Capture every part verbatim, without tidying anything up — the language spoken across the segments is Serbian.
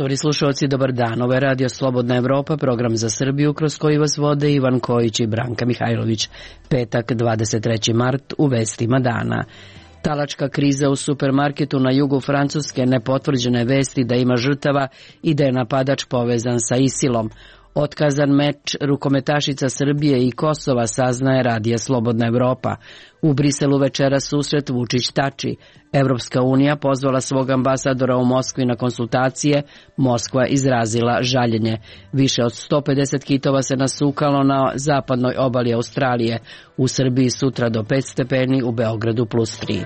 Poštovani slušalci, dobar dan. Ovo je Radio Slobodna Evropa, program za Srbiju kroz koji vas vode Ivan Kojić i Branka Mihajlović. Petak, dvadeset treći mart, u vestima dana. Talačka kriza u supermarketu na jugu Francuske, nepotvrđene vesti da ima žrtava i da je napadač povezan sa ISIL-om. Otkazan meč rukometašica Srbije i Kosova, saznaje Radija Slobodna Evropa. U Briselu večera susret Vučić-Tači. Evropska unija pozvala svog ambasadora u Moskvi na konsultacije, Moskva izrazila žaljenje. Više od sto pedeset kitova se nasukalo na zapadnoj obali Australije. U Srbiji sutra do pet stepeni, u Beogradu plus tri.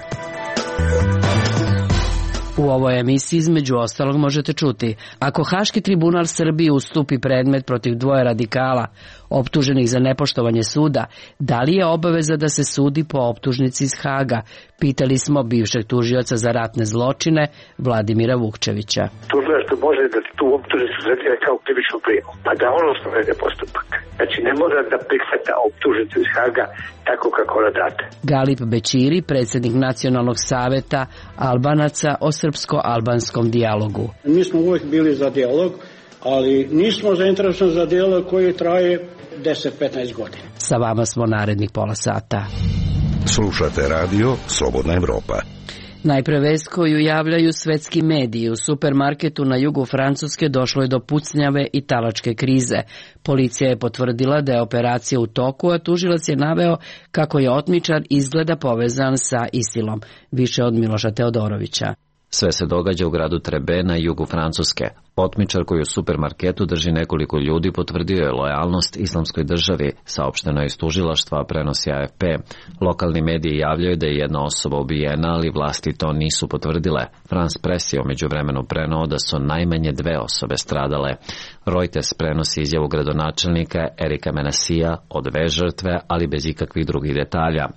U ovoj emisiji između ostalog možete čuti: ako Haški tribunal Srbiji ustupi predmet protiv dvoje radikala optuženih za nepoštovanje suda, da li je obaveza da se sudi po optužnici iz Haga? Pitali smo bivšeg tužioca za ratne zločine Vladimira Vukčevića. Tužilaštvo može da tu optužnicu tretira kao krivičnu prijavu, pa da ono sprovede postupak. Znači ne mora da prihvata optužnicu iz Haga tako kako ona date. Galip Bećiri, predsjednik Nacionalnog saveta Albanaca o srpsko-albanskom dijalogu. Mi smo uvijek bili za dijalog, ali nismo zainteresovani za dijalog koji traje deset do petnaest godina. Sa vama smo narednih pola sata. Slušate Radio Slobodna Evropa. Najpre vest koju javljaju svetski mediji: u supermarketu na jugu Francuske došlo je do pucnjave i talačke krize. Policija je potvrdila da je operacija u toku, a tužilac je naveo kako je otmičar izgleda povezan sa ISIL-om. Više od Miloša Teodorovića. Sve se događa u gradu Trebe na jugu Francuske. Otmičar koji u supermarketu drži nekoliko ljudi potvrdio je lojalnost islamskoj državi, saopšteno je iz tužilaštva, prenosi A F P. Lokalni mediji javljaju da je jedna osoba ubijena, ali vlasti to nisu potvrdile. France Press je umeđu vremenu preneo da su najmanje dve osobe stradale. Reuters prenosi izjavu gradonačelnika Erika Menasija o dve žrtve, ali bez ikakvih drugih detalja.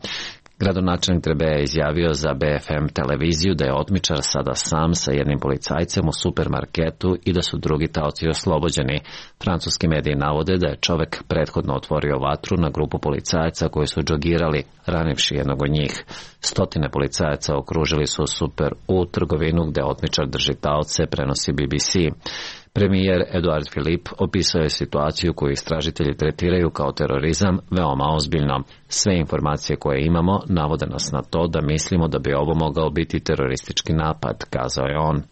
Gradonačelnik Trebea je izjavio za B F M televiziju da je otmičar sada sam sa jednim policajcem u supermarketu i da su drugi taoci oslobođeni. Francuski mediji navode da je čovek prethodno otvorio vatru na grupu policajaca koji su džogirali, ranivši jednog od njih. Stotine policajaca okružili su Super U trgovinu gde otmičar drži taoce, prenosi B B C. Premijer Eduard Philippe opisao je situaciju koju istražitelji tretiraju kao terorizam veoma ozbiljno. Sve informacije koje imamo navode nas na to da mislimo da bi ovo mogao biti teroristički napad, kazao je on.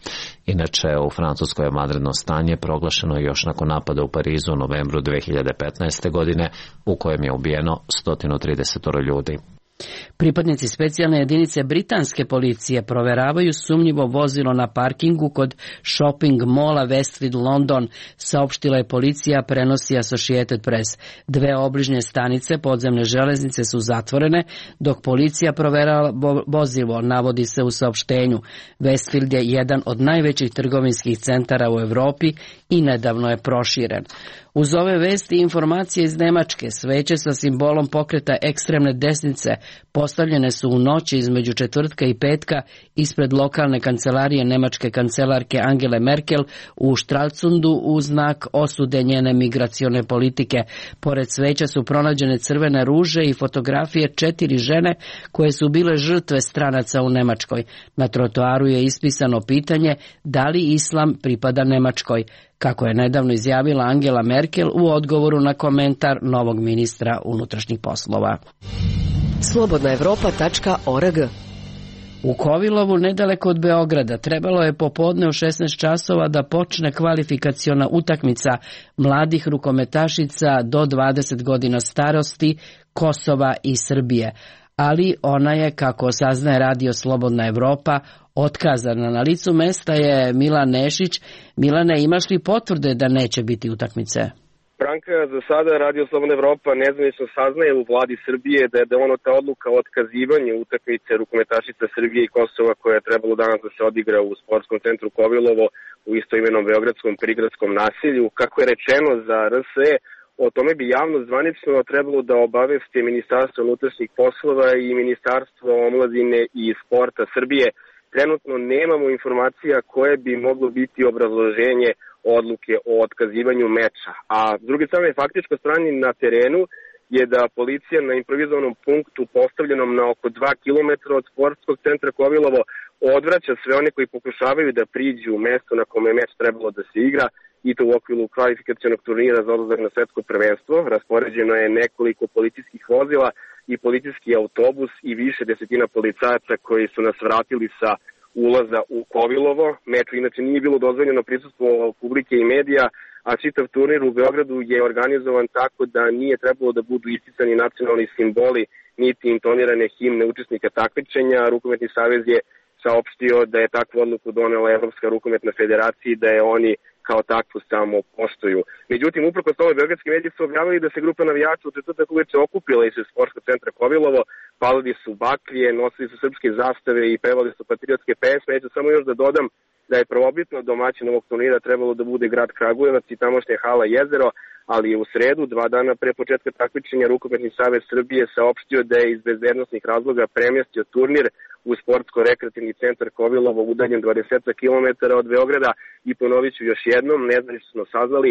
Inače, u Francuskoj je vanredno stanje proglašeno još nakon napada u Parizu u novembru dve hiljade petnaeste. godine, u kojem je ubijeno sto trideset ljudi. Pripadnici specijalne jedinice britanske policije proveravaju sumnjivo vozilo na parkingu kod shopping mola Westfield London, saopštila je policija, prenosi Associated Press. Dve obližnje stanice podzemne železnice su zatvorene, dok policija proverava vozilo, navodi se u saopštenju. Westfield je jedan od najvećih trgovinskih centara u Evropi i nedavno je proširen. Uz ove vesti i informacije iz Nemačke, sveće sa simbolom pokreta ekstremne desnice postavljene su u noći između četvrtka i petka ispred lokalne kancelarije nemačke kancelarke Angele Merkel u Stralsundu u znak osude njene migracione politike. Pored sveća su pronađene crvene ruže i fotografije četiri žene koje su bile žrtve stranaca u Nemačkoj. Na trotoaru je ispisano pitanje da li islam pripada Nemačkoj, kako je nedavno izjavila Angela Merkel u odgovoru na komentar novog ministra unutrašnjih poslova. slobodna evropa tačka org. U Kovilovu, nedaleko od Beograda, trebalo je popodne u šesnaest časova da počne kvalifikaciona utakmica mladih rukometašica do dvadeset godina starosti Kosova i Srbije, ali ona je, kako saznaje Radio Slobodna Evropa, otkazana. Na licu mesta je Milan Nešić. Milane, imaš li potvrde da neće biti utakmice? Branka, za sada Radio Slobodna Evropa nezvanično saznaje u vladi Srbije da je doneta odluka o otkazivanju utakmice rukometašica Srbije i Kosova koja je trebalo danas da se odigra u sportskom centru Kovilovo u istoimenom beogradskom prigradskom naselju. Kako je rečeno za R S E, o tome bi javno zvanično trebalo da obaveste Ministarstvo unutrašnjih poslova i Ministarstvo omladine i sporta Srbije. Trenutno nemamo informacija koje bi moglo biti obrazloženje odluke o otkazivanju meča. A s druge strane, faktičko stanje na terenu je da policija na improvizovanom punktu postavljenom na oko dva kilometra od sportskog centra Kovilovo odvraća sve one koji pokušavaju da priđu u mesto na kome je meč trebalo da se igra, i to u okviru kvalifikacionog turnira za odlazak na svetsko prvenstvo. Raspoređeno je nekoliko policijskih vozila i policijski autobus i više desetina policajaca koji su nas vratili sa ulaza u Kovilovo. Meču inače nije bilo dozvoljeno prisustvo publike i medija, a čitav turnir u Beogradu je organizovan tako da nije trebalo da budu isticani nacionalni simboli niti intonirane himne učesnika takmičenja. Rukometni savez je saopštio da je takvu odluku donela Evropska rukometna federacija i da je oni kao takvu samo poštuju. Međutim, uprkos tome, beogradski mediji su objavili da se grupa navijača u četvrtak uveče okupila ispred sportskog centra Kovilovo, palili su baklje, nosili su srpske zastave i pevali su patriotske pesme. Ja ću samo još da dodam da je prvobitno domaćin ovog turnira trebalo da bude grad Kragujevac i tamošnja hala Jezero, ali je u sredu, dva dana pre početka takmičenja, Rukometni savez Srbije saopštio da je iz bezbednosnih razloga premjestio turnir u sportsko-rekreativni centar Kovilovo, udaljen dvadeset kilometara od Beograda, i ponovit ću još jednom, nezvanično smo saznali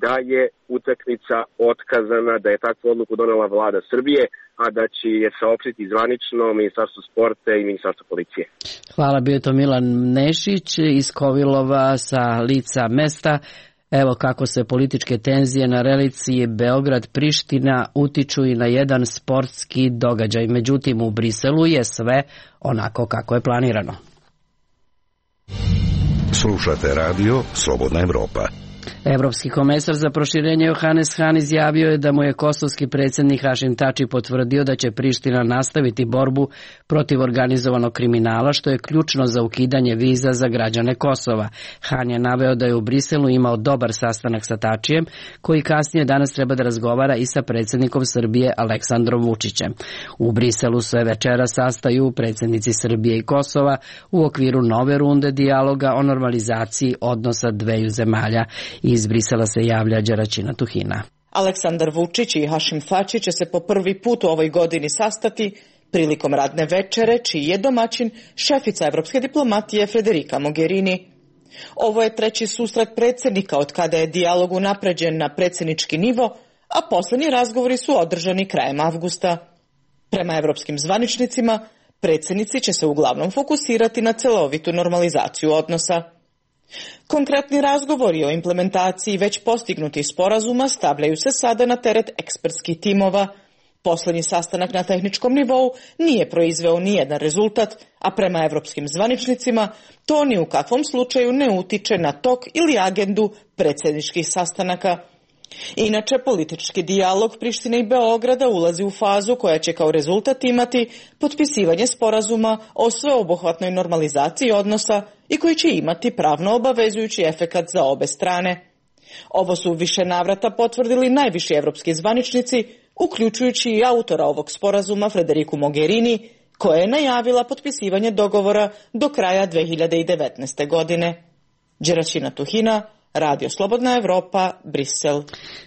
da je utakmica otkazana, da je takvu odluku donela vlada Srbije, a da će je saopštiti zvanično Ministarstvo sporta i Ministarstvo policije. Hvala, bio je to Milan Nešić iz Kovilova sa lica mesta. Evo kako se političke tenzije na relaciji Beograd-Priština utiču i na jedan sportski događaj. Međutim, u Briselu je sve onako kako je planirano. Slušate radio Slobodna Evropa. Evropski komesar za proširenje Johannes Hahn izjavio je da mu je kosovski predsjednik Hašim Tači potvrdio da će Priština nastaviti borbu protiv organizovanog kriminala, što je ključno za ukidanje viza za građane Kosova. Hahn je naveo da je u Briselu imao dobar sastanak sa Tačijem, koji kasnije danas treba da razgovara i sa predsjednikom Srbije Aleksandrom Vučićem. U Briselu se večera sastaju predsjednici Srbije i Kosova u okviru nove runde dijaloga o normalizaciji odnosa dveju zemalja. Iz Brisela se javlja Đeraćina Tuhina. Aleksandar Vučić i Hašim Tači će se po prvi put u ovoj godini sastati prilikom radne večere, čiji je domaćin šefica evropske diplomatije Federica Mogherini. Ovo je treći susret predsjednika od kada je dijalog unapređen na predsjednički nivo, a posljednji razgovori su održani krajem avgusta. Prema evropskim zvaničnicima, predsjednici će se uglavnom fokusirati na celovitu normalizaciju odnosa. Konkretni razgovori o implementaciji već postignutih sporazuma stavljaju se sada na teret ekspertskih timova. Posljednji sastanak na tehničkom nivou nije proizveo nijedan rezultat, a prema evropskim zvaničnicima to ni u kakvom slučaju ne utiče na tok ili agendu predsjedničkih sastanaka. Inače, politički dijalog Prištine i Beograda ulazi u fazu koja će kao rezultat imati potpisivanje sporazuma o sveobuhvatnoj normalizaciji odnosa i koji će imati pravno obavezujući efekat za obe strane. Ovo su više navrata potvrdili najviši evropski zvaničnici, uključujući i autora ovog sporazuma Federicu Mogherini, koja je najavila potpisivanje dogovora do kraja dve hiljade devetnaeste. godine. Đeraćina Tuhina, Radio Slobodna Evropa, Brisel.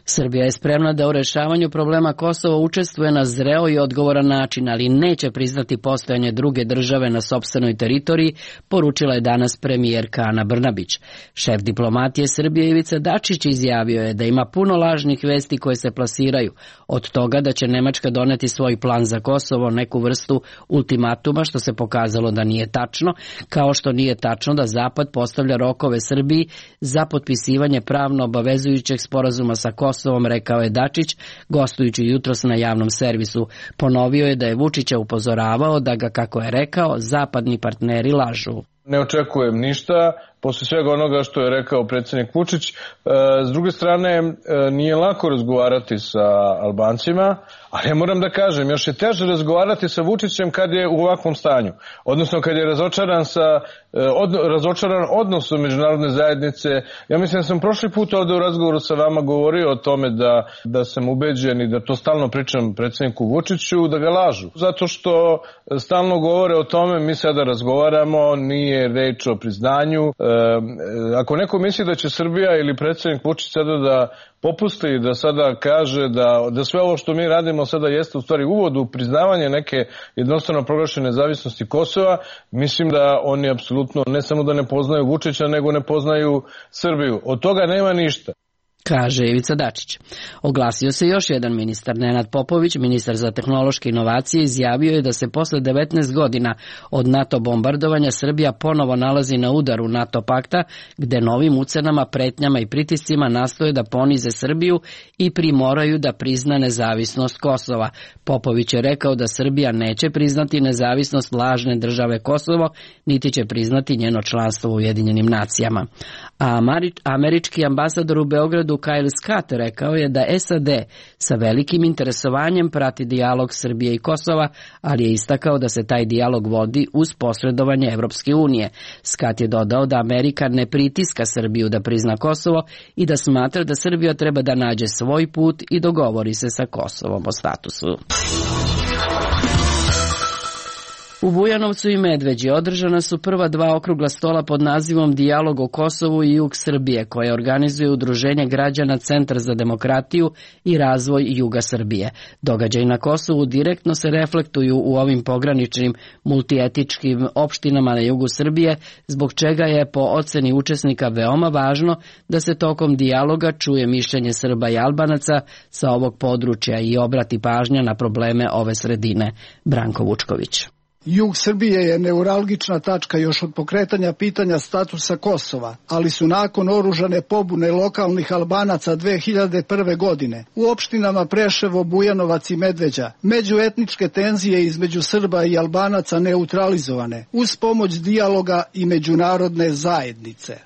Srbija je spremna da u rešavanju problema Kosova učestvuje na zreo i odgovoran način, ali neće priznati postojanje druge države na sopstvenoj teritoriji, poručila je danas premijerka Ana Brnabić. Šef diplomatije Srbije Ivica Dačić izjavio je da ima puno lažnih vesti koje se plasiraju, od toga da će Nemačka doneti svoj plan za Kosovo, neku vrstu ultimatuma, što se pokazalo da nije tačno, kao što nije tačno da Zapad postavlja rokove Srbiji za potpisivanje potpisivanje pravno obavezujućeg sporazuma sa Kosovom, rekao je Dačić, gostujući jutros na javnom servisu. Ponovio je da je Vučića upozoravao da ga, kako je rekao, zapadni partneri lažu. Ne očekujem ništa, posle svega onoga što je rekao predsjednik Vučić. S druge strane, nije lako razgovarati sa Albancima, ali ja moram da kažem, još je teže razgovarati sa Vučićem kad je u ovakvom stanju. Odnosno kad je razočaran, sa, od, razočaran odnosom međunarodne zajednice. Ja mislim da sam prošli put ovde u razgovoru sa vama govorio o tome da, da sam ubeđen i da to stalno pričam predsjedniku Vučiću, da ga lažu. Zato što stalno govore o tome, mi sada razgovaramo, nije reč o priznanju. Ako neko misli da će Srbija ili predsjednik Vučić sada da popusti i da sada kaže da, da sve ovo što mi radimo sada jeste u stvari uvod u priznavanje neke jednostavno proglašene nezavisnosti Kosova, mislim da oni apsolutno ne samo da ne poznaju Vučića, nego ne poznaju Srbiju. Od toga nema ništa. kaže Ivica Dačić. Oglasio se još jedan ministar, Nenad Popović, ministar za tehnološke inovacije, izjavio je da se posle devetnaest godina od NATO bombardovanja Srbija ponovo nalazi na udaru NATO pakta, gde novim ucenama, pretnjama i pritiscima nastoje da ponize Srbiju i primoraju da prizna nezavisnost Kosova. Popović je rekao da Srbija neće priznati nezavisnost lažne države Kosovo, niti će priznati njeno članstvo u Ujedinjenim nacijama. A američki ambasador u Beogradu Kyle Scott rekao je da S A D sa velikim interesovanjem prati dijalog Srbije i Kosova, ali je istakao da se taj dijalog vodi uz posredovanje Evropske unije. Scott je dodao da Amerika ne pritiska Srbiju da prizna Kosovo i da smatra da Srbija treba da nađe svoj put i dogovori se sa Kosovom o statusu. U Bujanovcu i Medveđi održana su prva dva okrugla stola pod nazivom Dijalog o Kosovu i jug Srbije, koje organizuje Udruženje građana Centar za demokratiju i razvoj juga Srbije. Događaji na Kosovu direktno se reflektuju u ovim pograničnim multietičkim opštinama na jugu Srbije, zbog čega je po oceni učesnika veoma važno da se tokom dijaloga čuje mišljenje Srba i Albanaca sa ovog područja i obrati pažnja na probleme ove sredine. Branko Vučković. Jug Srbije je neuralgična tačka još od pokretanja pitanja statusa Kosova, ali su nakon oružane pobune lokalnih Albanaca dve hiljade prve. godine u opštinama Preševo, Bujanovac i Medveđa međuetničke tenzije između Srba i Albanaca neutralizovane uz pomoć dijaloga i međunarodne zajednice.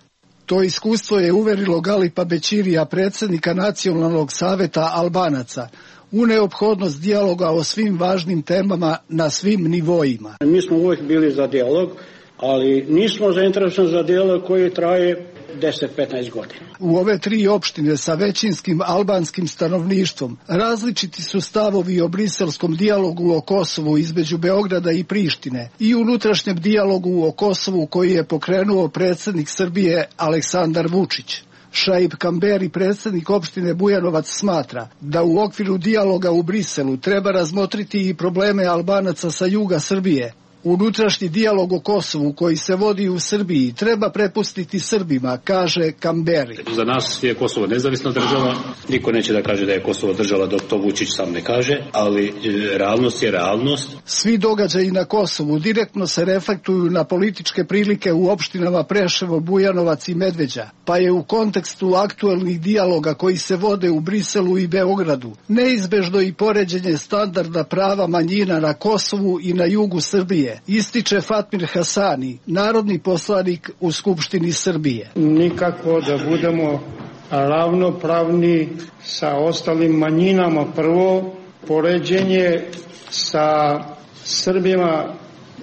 To iskustvo je uverilo Galipa Bećirija, predsjednika Nacionalnog saveta Albanaca, u neophodnost dijaloga o svim važnim temama na svim nivoima. Mi smo uvijek bili za dijalog, ali nismo zainteresovani za dijalog koji traje deset do petnaest godina. U ove tri opštine sa većinskim albanskim stanovništvom različiti su stavovi o briselskom dijalogu o Kosovu između Beograda i Prištine i unutrašnjem dijalogu o Kosovu koji je pokrenuo predsjednik Srbije Aleksandar Vučić. Šaip Kamberi, predsjednik opštine Bujanovac, smatra da u okviru dijaloga u Briselu treba razmotriti i probleme Albanaca sa juga Srbije. Unutrašnji dijalog o Kosovu koji se vodi u Srbiji treba prepustiti Srbima, kaže Kamberi. Za nas je Kosovo nezavisna država, niko neće da kaže da je Kosovo država dok to Vučić sam ne kaže, ali realnost je realnost. Svi događaji na Kosovu direktno se reflektuju na političke prilike u opštinama Preševo, Bujanovac i Medveđa, pa je u kontekstu aktuelnih dijaloga koji se vode u Briselu i Beogradu neizbežno i poređenje standarda prava manjina na Kosovu i na jugu Srbije, ističe Fatmir Hasani, narodni poslanik u Skupštini Srbije. Nikako da budemo ravnopravni sa ostalim manjinama. Prvo, poređenje sa Srbima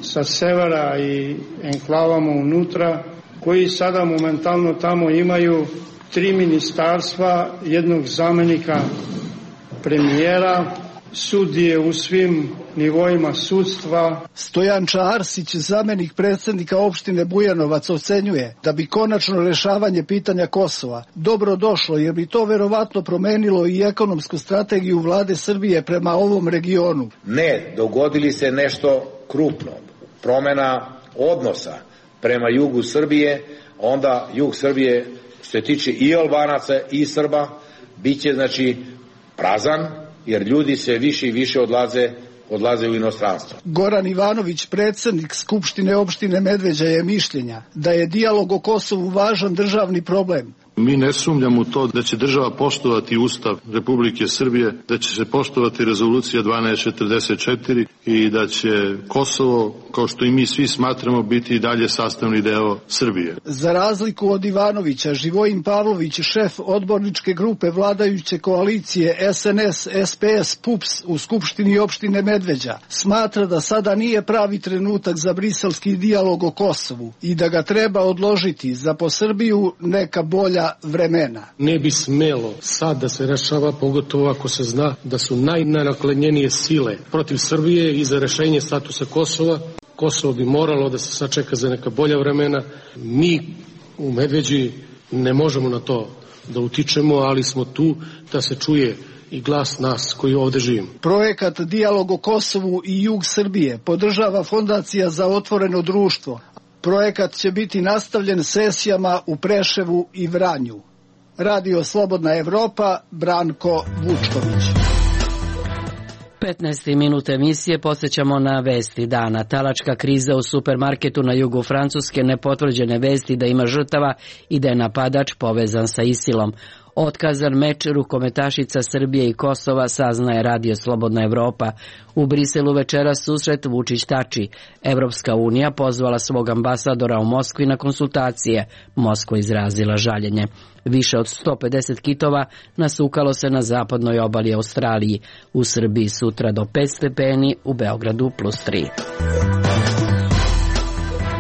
sa severa i enklavama unutra, koji sada momentalno tamo imaju tri ministarstva, jednog zamenika premijera, sudije u svim nivoima sudstva. Stojanča Arsić, zamenik predsjednika opštine Bujanovac, ocenjuje da bi konačno rešavanje pitanja Kosova dobro došlo, jer bi to verovatno promenilo i ekonomsku strategiju vlade Srbije prema ovom regionu. Ne, dogodili se nešto krupno, promjena odnosa prema jugu Srbije, onda jug Srbije, što se tiče i Albanaca i Srba, bit će znači prazan, jer ljudi se više i više odlaze, odlaze u inostranstvo. Goran Ivanović, predsjednik Skupštine opštine Medveđa, je mišljenja da je dijalog o Kosovu važan državni problem. Mi ne sumnjamo u to da će država poštovati Ustav Republike Srbije, da će se poštovati rezolucija dvanaest četrdeset četiri i da će Kosovo, kao što i mi svi smatramo, biti i dalje sastavni deo Srbije. Za razliku od Ivanovića, Živojin Pavlović, šef odborničke grupe vladajuće koalicije S N S S P S P U P S u Skupštini opštine Medveđa, smatra da sada nije pravi trenutak za briselski dijalog o Kosovu i da ga treba odložiti za po Srbiju neka bolja vremena. Ne bi smelo sad da se rešava, pogotovo ako se zna da su najnaklenjenije sile protiv Srbije i za rešenje statusa Kosova. Kosovo bi moralo da se sačeka za neka bolja vremena. Mi u Medveđi ne možemo na to da utičemo, ali smo tu da se čuje i glas nas koji ovde živimo. Projekat Dijalog o Kosovu i jug Srbije podržava Fondacija za otvoreno društvo. Projekat će biti nastavljen sesijama u Preševu i Vranju. Radio Slobodna Evropa, Branko Vučković. petnaest minuta emisije podsjećamo na vesti dana. Talačka kriza u supermarketu na jugu Francuske, nepotvrđene vesti da ima žrtava i da je napadač povezan sa Isilom. Otkazan meč rukometašica Srbije i Kosova, saznaje Radio Slobodna Evropa. U Briselu večeras susret Vučić-Tači. Evropska unija pozvala svog ambasadora u Moskvi na konsultacije. Moskva izrazila žaljenje. Više od sto pedeset kitova nasukalo se na zapadnoj obali Australiji. U Srbiji sutra do pet stepeni, u Beogradu plus tri.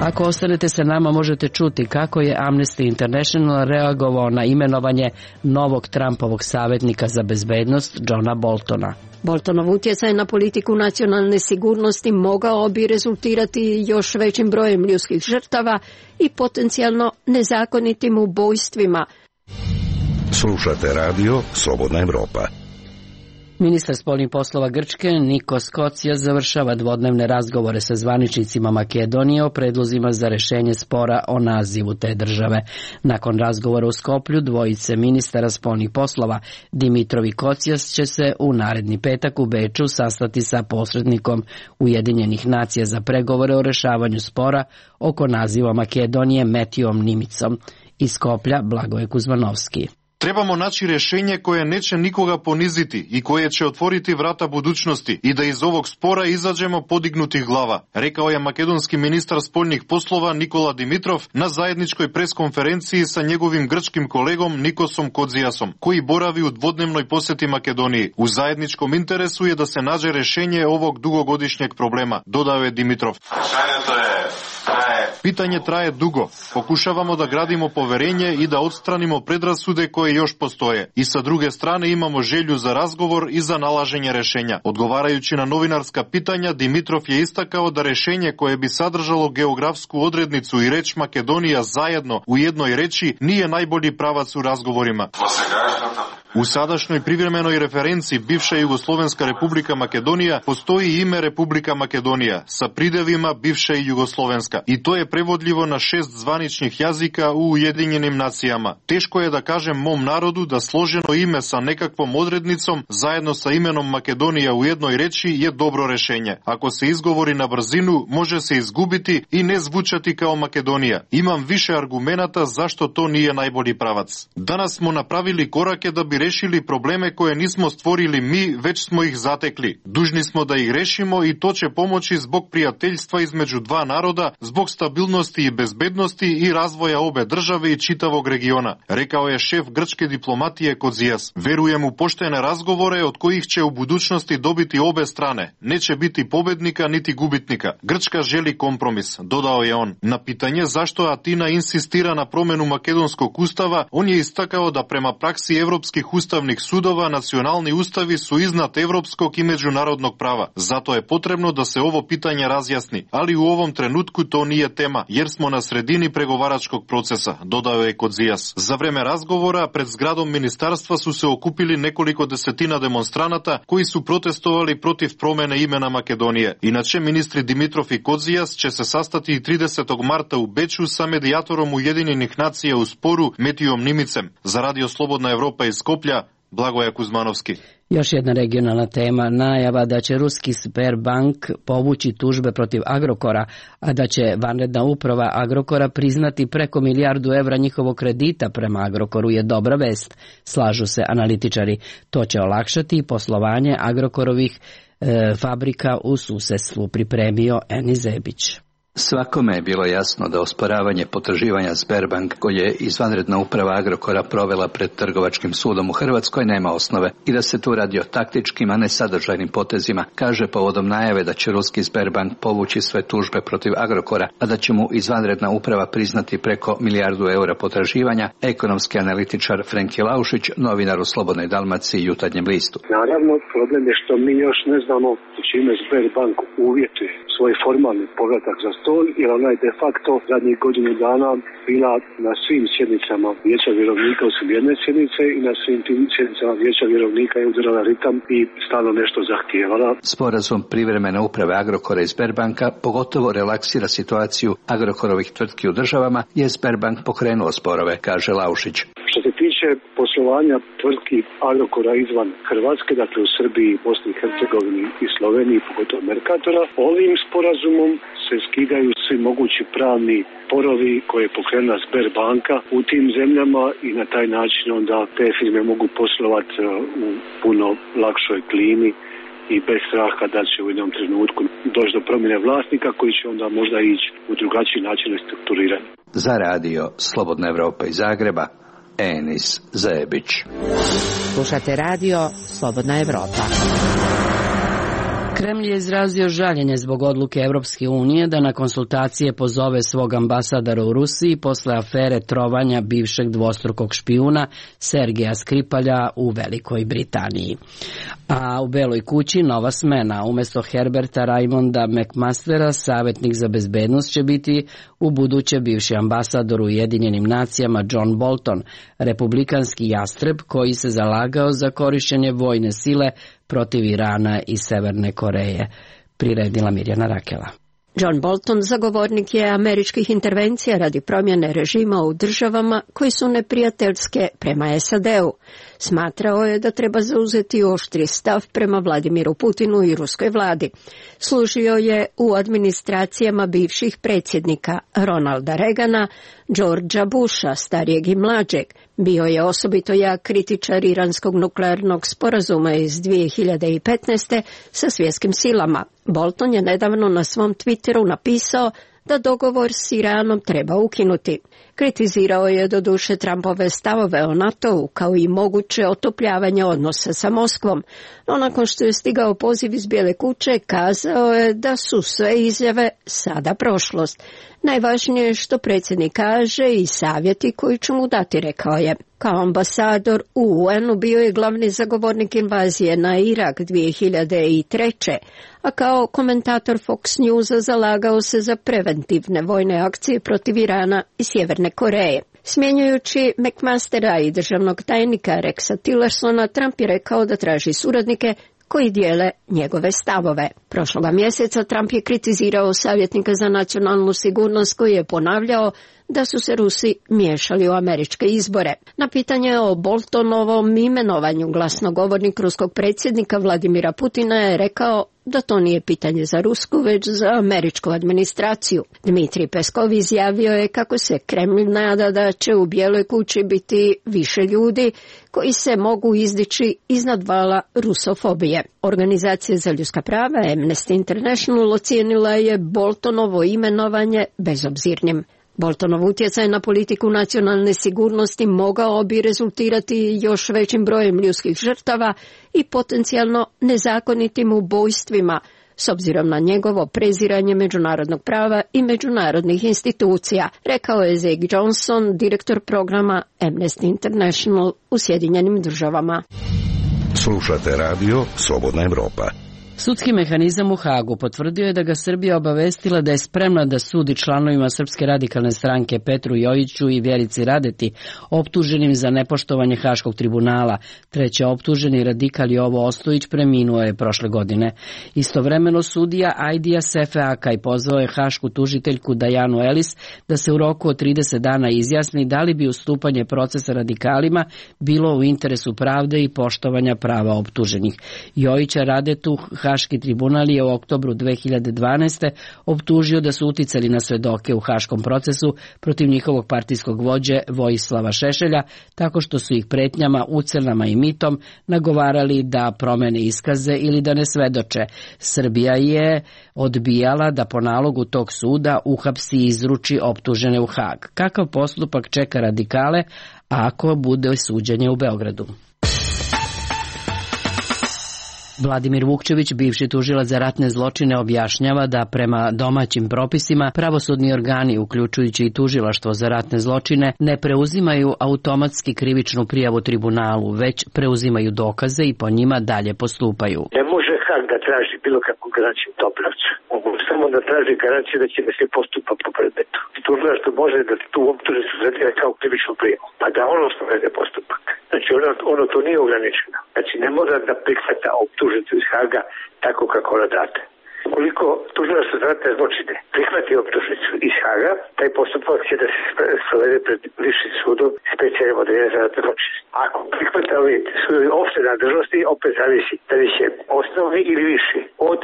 Ako ostanete sa nama, možete čuti kako je Amnesty International reagovao na imenovanje novog Trumpovog savjetnika za bezbednost Johna Boltona. Boltonov utjecaj na politiku nacionalne sigurnosti mogao bi rezultirati još većim brojem ljudskih žrtava i potencijalno nezakonitim ubojstvima. Slušate radio Slobodna Evropa. Ministar spoljnih poslova Grčke Nikos Kotsias završava dvodnevne razgovore sa zvaničnicima Makedonije o predlozima za rešenje spora o nazivu te države. Nakon razgovora u Skoplju, dvojice ministara spoljnih poslova Dimitrov i Kotsias će se u naredni petak u Beču sastati sa posrednikom Ujedinjenih nacija za pregovore o rešavanju spora oko naziva Makedonije Metijom Nimicom. Iz Skoplja Blagoje Kuzmanovski. Trebamo naći rješenje koje neće nikoga poniziti i koje će otvoriti vrata budućnosti i da iz ovog spora izađemo podignutih glava, rekao je makedonski ministar spoljnih poslova Nikola Dimitrov na zajedničkoj preskonferenciji sa njegovim grčkim kolegom Nikosom Kodzijasom, koji boravi u dvodnevnoj posjeti Makedoniji. U zajedničkom interesu je da se nađe rješenje ovog dugogodišnjeg problema, dodao je Dimitrov. Pitanje traje dugo. Pokušavamo da gradimo poverenje i da odstranimo predrasude koje još postoje. I sa druge strane imamo želju za razgovor i za nalaženje rešenja. Odgovarajući na novinarska pitanja, Dimitrov je istakao da rešenje koje bi sadržalo geografsku odrednicu i reč Makedonija zajedno u jednoj reči nije najbolji pravac u razgovorima. U sadašnjoj privremenoj referenciji bivša Jugoslovenska republika Makedonija postoji ime Republika Makedonija sa pridevima bivša i Jugoslovenska i to je prevodljivo na šest zvaničnih jazika u Ujedinjenim nacijama. Teško je da kažem mom narodu da složeno ime sa nekakvom odrednicom zajedno sa imenom Makedonija u jednoj reči je dobro rešenje. Ako se izgovori na brzinu, može se izgubiti i ne zvučati kao Makedonija. Imam više argumenata zašto to nije najbolji pravac. Danas smo napravili korake da bi rešili probleme koje nismo stvorili mi, već smo ih zatekli. Dužni smo da ih rešimo i to će pomoći zbog prijateljstva između dva naroda, zbog stabilnosti i bezbednosti i razvoja obe države i čitavog regiona, rekao je šef grčke diplomatije Kodzijas. Verujem u poštene razgovore od kojih će u budućnosti dobiti obe strane. Neće biti pobednika niti gubitnika. Grčka želi kompromis, dodao je on. Na pitanje zašto Atina insistira na promenu makedonskog ustava, on je istakao da prema praksi evropskih ustavnih sudova nacionalni ustavi su iznad evropskog i međunarodnog prava. Zato je potrebno da se ovo pitanje razjasni, ali u ovom trenutku to nije tema, jer smo na sredini pregovaračkog procesa, dodao je Kodzijas. Za vreme razgovora pred zgradom ministarstva su se okupili nekoliko desetina demonstranata koji su protestovali protiv promene imena Makedonije. Inače, ministri Dimitrov i Kodzijas će se sastati i tridesetog marta u Beču sa medijatorom Ujedinjenih nacija u sporu Metijom Nimicem. Za Radio Slobodna Evropa iz Skoplja, Blagoje Kuzmanovski. Još jedna regionalna tema, najava da će ruski Sberbank povući tužbe protiv Agrokora, a da će vanredna uprava Agrokora priznati preko milijardu evra njihovog kredita prema Agrokoru je dobra vest, slažu se analitičari. To će olakšati poslovanje Agrokorovih e, fabrika u susedstvu, pripremio Eni Zebić. Svakome je bilo jasno da osporavanje potraživanja Sberbank, koje je izvanredna uprava Agrokora provela pred trgovačkim sudom u Hrvatskoj, nema osnove i da se tu radi o taktičkim, a ne sadržajnim potezima, kaže povodom najave da će ruski Sberbank povući sve tužbe protiv Agrokora, a da će mu izvanredna uprava priznati preko milijardu eura potraživanja, ekonomski analitičar Frenki Laušić, novinar u Slobodnoj Dalmaciji i Jutarnjem listu. Naravno, problem je što mi još ne znamo čime Sberbank uvjetuje svoj formalni povratak za stol, jer ona je de facto zadnjih godinu dana bila na svim sjednicama vijeća vjerovnika osim jedne sjednice i na svim tim sjednicama vijeća vjerovnika je udarala ritam i stalno nešto zahtijevala. Sporazum privremene uprave Agrokora i Sberbanka pogotovo relaksira situaciju Agrokorovih tvrtki u državama, je Sberbank pokrenuo sporove, kaže Laušić. Što se tiče tiče poslovanja tvrtki Agrokora izvan Hrvatske, dakle u Srbiji, Bosni i Hercegovini i Sloveniji, pogotovo Mercatora, ovim sporazumom se skidaju svi mogući pravni sporovi koje je pokrenula Sberbanka u tim zemljama i na taj način onda te firme mogu poslovati u puno lakšoj klimi i bez straha da će u jednom trenutku doći do promjene vlasnika koji će onda možda ići u drugačiji način restrukturiranja. Za radio Slobodna Evropa iz Zagreba, Enis Zebić. Slušate radio Slobodna Evropa. Kremlj je izrazio žaljenje zbog odluke Evropske unije da na konsultacije pozove svog ambasadora u Rusiji posle afere trovanja bivšeg dvostrukog špijuna Sergeja Skripalja u Velikoj Britaniji. A u Beloj kući nova smena. Umesto Herberta Raimonda McMastera, savjetnik za bezbednost će biti u buduće bivši ambasador u Ujedinjenim nacijama John Bolton, republikanski jastreb koji se zalagao za korišćenje vojne sile protiv Irana i Severne Koreje, priredila Mirjana Rakela. John Bolton zagovornik je američkih intervencija radi promjene režima u državama koji su neprijateljske prema S A D-u. Smatrao je da treba zauzeti oštri stav prema Vladimiru Putinu i ruskoj vladi. Služio je u administracijama bivših predsjednika Ronalda Reagana, Georgea Busha, starijeg i mlađeg. Bio je osobito jak kritičar iranskog nuklearnog sporazuma iz dvije hiljade petnaeste. sa svjetskim silama. Bolton je nedavno na svom Twitteru napisao da dogovor s Iranom treba ukinuti. Kritizirao je doduše Trumpove stavove o NATO-u kao i moguće otopljavanje odnosa sa Moskvom, no nakon što je stigao poziv iz Bijele kuće kazao je da su sve izjave sada prošlost. Najvažnije je što predsjednik kaže i savjeti koji će mu dati, rekao je. Kao ambasador u U N-u bio je glavni zagovornik invazije na Irak dvije hiljade treće. a kao komentator Fox Newsa zalagao se za preventivne vojne akcije protiv Irana i Sjeverne Koreje. Smjenjujući McMastera i državnog tajnika Rexa Tillersona, Trump je rekao da traži suradnike koji dijele njegove stavove. Prošloga mjeseca Trump je kritizirao savjetnika za nacionalnu sigurnost koji je ponavljao da su se Rusi miješali u američke izbore. Na pitanje o Boltonovom imenovanju glasnogovornik ruskog predsjednika Vladimira Putina je rekao da to nije pitanje za rusku, već za američku administraciju. Dmitrij Peskov izjavio je kako se Kremlj nada da će u Bijeloj kući biti više ljudi koji se mogu izdići iznad vala rusofobije. Organizacija za ljudska prava Amnesty International ocijenila je Boltonovo imenovanje bezobzirnim. Boltonov utjecaj na politiku nacionalne sigurnosti mogao bi rezultirati još većim brojem ljudskih žrtava i potencijalno nezakonitim ubojstvima, s obzirom na njegovo preziranje međunarodnog prava i međunarodnih institucija, rekao je Zach Johnson, direktor programa Amnesty International u Sjedinjenim državama. Slušate radio Slobodna Evropa. Sudski mehanizam u Hagu potvrdio je da ga Srbija obavestila da je spremna da sudi članovima Srpske radikalne stranke Petru Jojiću i Vjerici Radeti, optuženim za nepoštovanje Haškog tribunala. Treći optuženi radikal Jovo Ostojić preminuo je prošle godine. Istovremeno sudija Ajdija Sefe Akaj pozvao je hašku tužiteljku Dajanu Elis da se u roku od trideset dana izjasni da li bi ustupanje procesa radikalima bilo u interesu pravde i poštovanja prava optuženih. Jojića Radetu Haški tribunal je u oktobru dve hiljade dvanaeste. optužio da su uticali na svedoke u haškom procesu protiv njihovog partijskog vođe Vojislava Šešelja, tako što su ih pretnjama, ucenama i mitom nagovarali da promene iskaze ili da ne svedoče. Srbija je odbijala da po nalogu tog suda uhapsi i izruči optužene u Hag. Kakav postupak čeka radikale ako bude suđenje u Beogradu? Vladimir Vukčević, bivši tužilac za ratne zločine, objašnjava da prema domaćim propisima pravosudni organi, uključujući i tužilaštvo za ratne zločine, ne preuzimaju automatski krivičnu prijavu tribunalu, već preuzimaju dokaze i po njima dalje postupaju. Ne može Hag da traži bilo kakvu garanciju Dobrovca. Mogu samo da traži garanciju da će da se postupa po predmetu. Tužilaštvo može da tu optužnicu zadire kao krivičnu prijavu, pa da ono sprovede postupak. Znači ono, ono to nije ograničeno. Znači ne mora da prihvata optužnicu iz Haga tako kako ona date. ukoliko tužilaštvo za ratne zločine prihvati optužnicu iz Haga, taj postupak će da se sprovede pred višim sudom specijalnim odeljenjem za ratne zločine. Ako prihvatali sudovi opšte nadležnosti, opet zavisi da li će osnovni ili viši od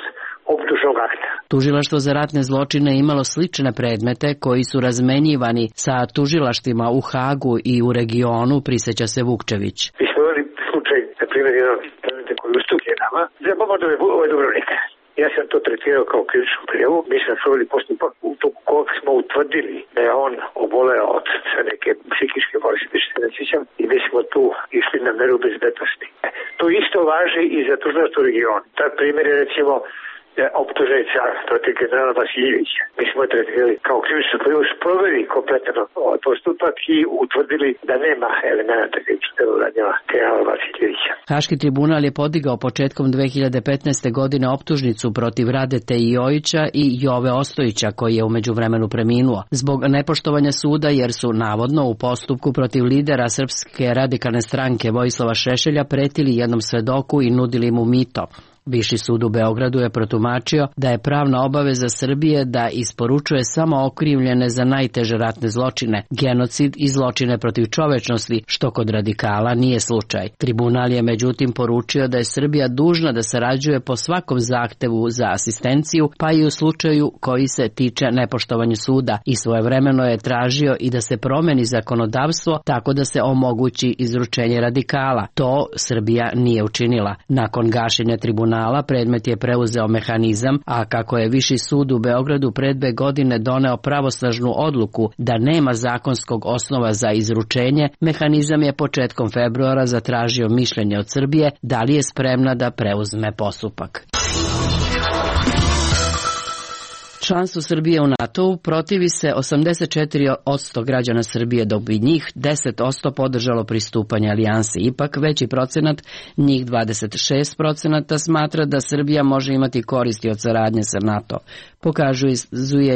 optužnog akta. Tužilaštvo za ratne zločine imalo slične predmete koji su razmenjivani sa tužilaštvima u Hagu i u regionu, priseća se Vukčević. Mi smo imali slučaj, na primjer, jedan predmete koji ustuplje nama, za bombardove ove Dubrovnika. Ja sam to tretirao kao krivičnu prijavu. Mi smo proveli postupak u toku kojeg smo utvrdili da je on oboleo od neke psihičke bolesti, što se ne sjećam, i mi smo tu išli na meru bezbednosti. To isto važi i za tužilaštvo regionu. Tak primjer je, recimo, optužnica protiv generala Vasiljevića. Mi smo tretirali kao krivičnu prijavu, sproveli kompletan ovaj postupak i utvrdili da nema elemenata krivičnog dela generala Vasiljevića. Haški tribunal je podigao početkom dve hiljade petnaeste. godine optužnicu protiv Radete Jojića i Jove Ostojića, koji je u međuvremenu preminuo, zbog nepoštovanja suda jer su navodno u postupku protiv lidera Srpske radikalne stranke Vojislava Šešelja pretili jednom svedoku i nudili mu mito. Viši sud u Beogradu je protumačio da je pravna obaveza Srbije da isporučuje samo okrivljene za najteže ratne zločine, genocid i zločine protiv čovečnosti, što kod radikala nije slučaj. Tribunal je međutim poručio da je Srbija dužna da sarađuje po svakom zahtevu za asistenciju, pa i u slučaju koji se tiče nepoštovanja suda, i svojevremeno je tražio i da se promeni zakonodavstvo tako da se omogući izručenje radikala. To Srbija nije učinila. Nakon gašenja tribunala predmet je preuzeo mehanizam, a kako je Viši sud u Beogradu pred dve godine doneo pravosnažnu odluku da nema zakonskog osnova za izručenje, mehanizam je početkom februara zatražio mišljenje od Srbije da li je spremna da preuzme postupak. Članstvo Srbije u NATO-u protivi se osamdeset četiri posto građana Srbije, dok bi njih deset posto podržalo pristupanje alijansi. Ipak veći procenat, njih dvadeset šest posto, smatra da Srbija može imati koristi od saradnje sa NATO. Pokazuje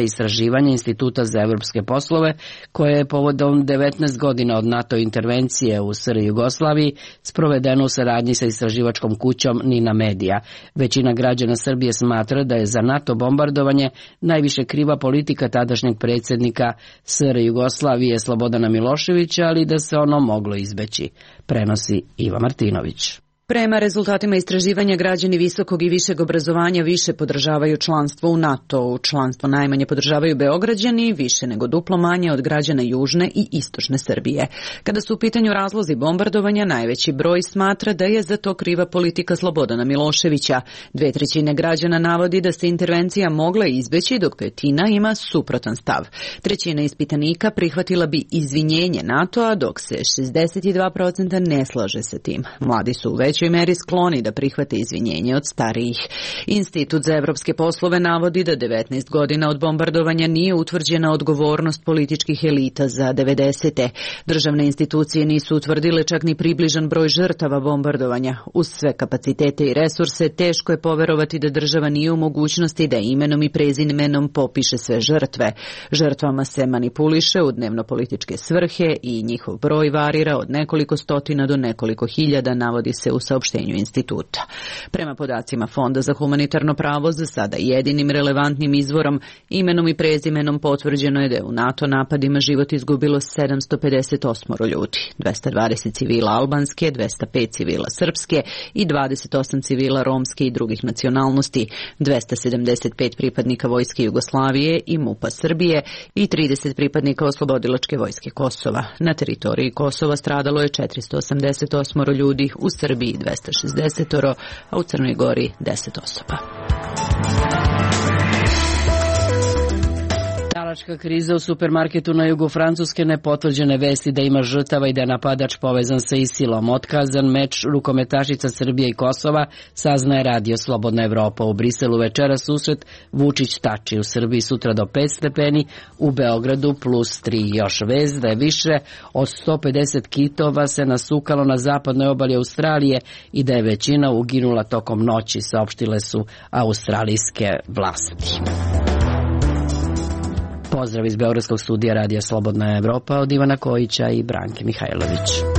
istraživanje Instituta za evropske poslove, koje je povodom devetnaest godina od NATO intervencije u S R Jugoslaviji sprovedeno u saradnji sa istraživačkom kućom Nina Media. Većina građana Srbije smatra da je za NATO bombardovanje najviše kriva politika tadašnjeg predsjednika S R Jugoslavije Slobodana Miloševića, ali da se ono moglo izbeći, prenosi Iva Martinović. Prema rezultatima istraživanja, građani visokog i višeg obrazovanja više podržavaju članstvo u NATO-u. Članstvo najmanje podržavaju Beograđani, više nego duplo manje od građana južne i istočne Srbije. Kada su u pitanju razlozi bombardovanja, najveći broj smatra da je za to kriva politika Slobodana Miloševića. Dve trećine građana navodi da se intervencija mogla izbeći, dok petina ima suprotan stav. Trećina ispitanika prihvatila bi izvinjenje NATO-a, dok se šezdeset dva posto ne slaže sa tim. Mladi su u većoj meri skloni da prihvate izvinjenje od starijih. Institut za evropske poslove navodi da devetnaest godina od bombardovanja nije utvrđena odgovornost političkih elita za devedesete. Državne institucije nisu utvrdile čak ni približan broj žrtava bombardovanja. Uz sve kapacitete i resurse, teško je poverovati da država nije u mogućnosti da imenom i prezimenom popiše sve žrtve. Žrtvama se manipuliše u dnevno-političke svrhe i njihov broj varira od nekoliko stotina do nekoliko hiljada, navodi se u saopštenju instituta. Prema podacima Fonda za humanitarno pravo, za sada jedinim relevantnim izvorom, imenom i prezimenom potvrđeno je da je u NATO napadima život izgubilo sedamsto pedeset osam ljudi, dvesta dvadeset civila albanske, dvesta pet civila srpske i dvadeset osam civila romske i drugih nacionalnosti, dvesta sedamdeset pet pripadnika Vojske Jugoslavije i MUP-a Srbije i trideset pripadnika Oslobodilačke vojske Kosova. Na teritoriji Kosova stradalo je četiristo osamdeset osam ljudi, u Srbiji dvesta šezdeset, a u Crnoj Gori deset osoba. Talačka kriza u supermarketu na jugu Francuske, nepotvrđene vesti da ima žrtava i da je napadač povezan sa ISIL-om. Otkazan meč rukometašica Srbije i Kosova, saznaje Radio Slobodna Evropa. U Briselu večera susret Vučić-Tači, u Srbiji sutra do pet stepeni, u Beogradu plus tri. Još vez da je više od sto pedeset kitova se nasukalo na zapadnoj obali Australije i da je većina uginula tokom noći, saopštile su australijske vlasti. Pozdrav iz Beogradskog studija Radija Slobodna Evropa od Ivana Kojića i Branke Mihajlović.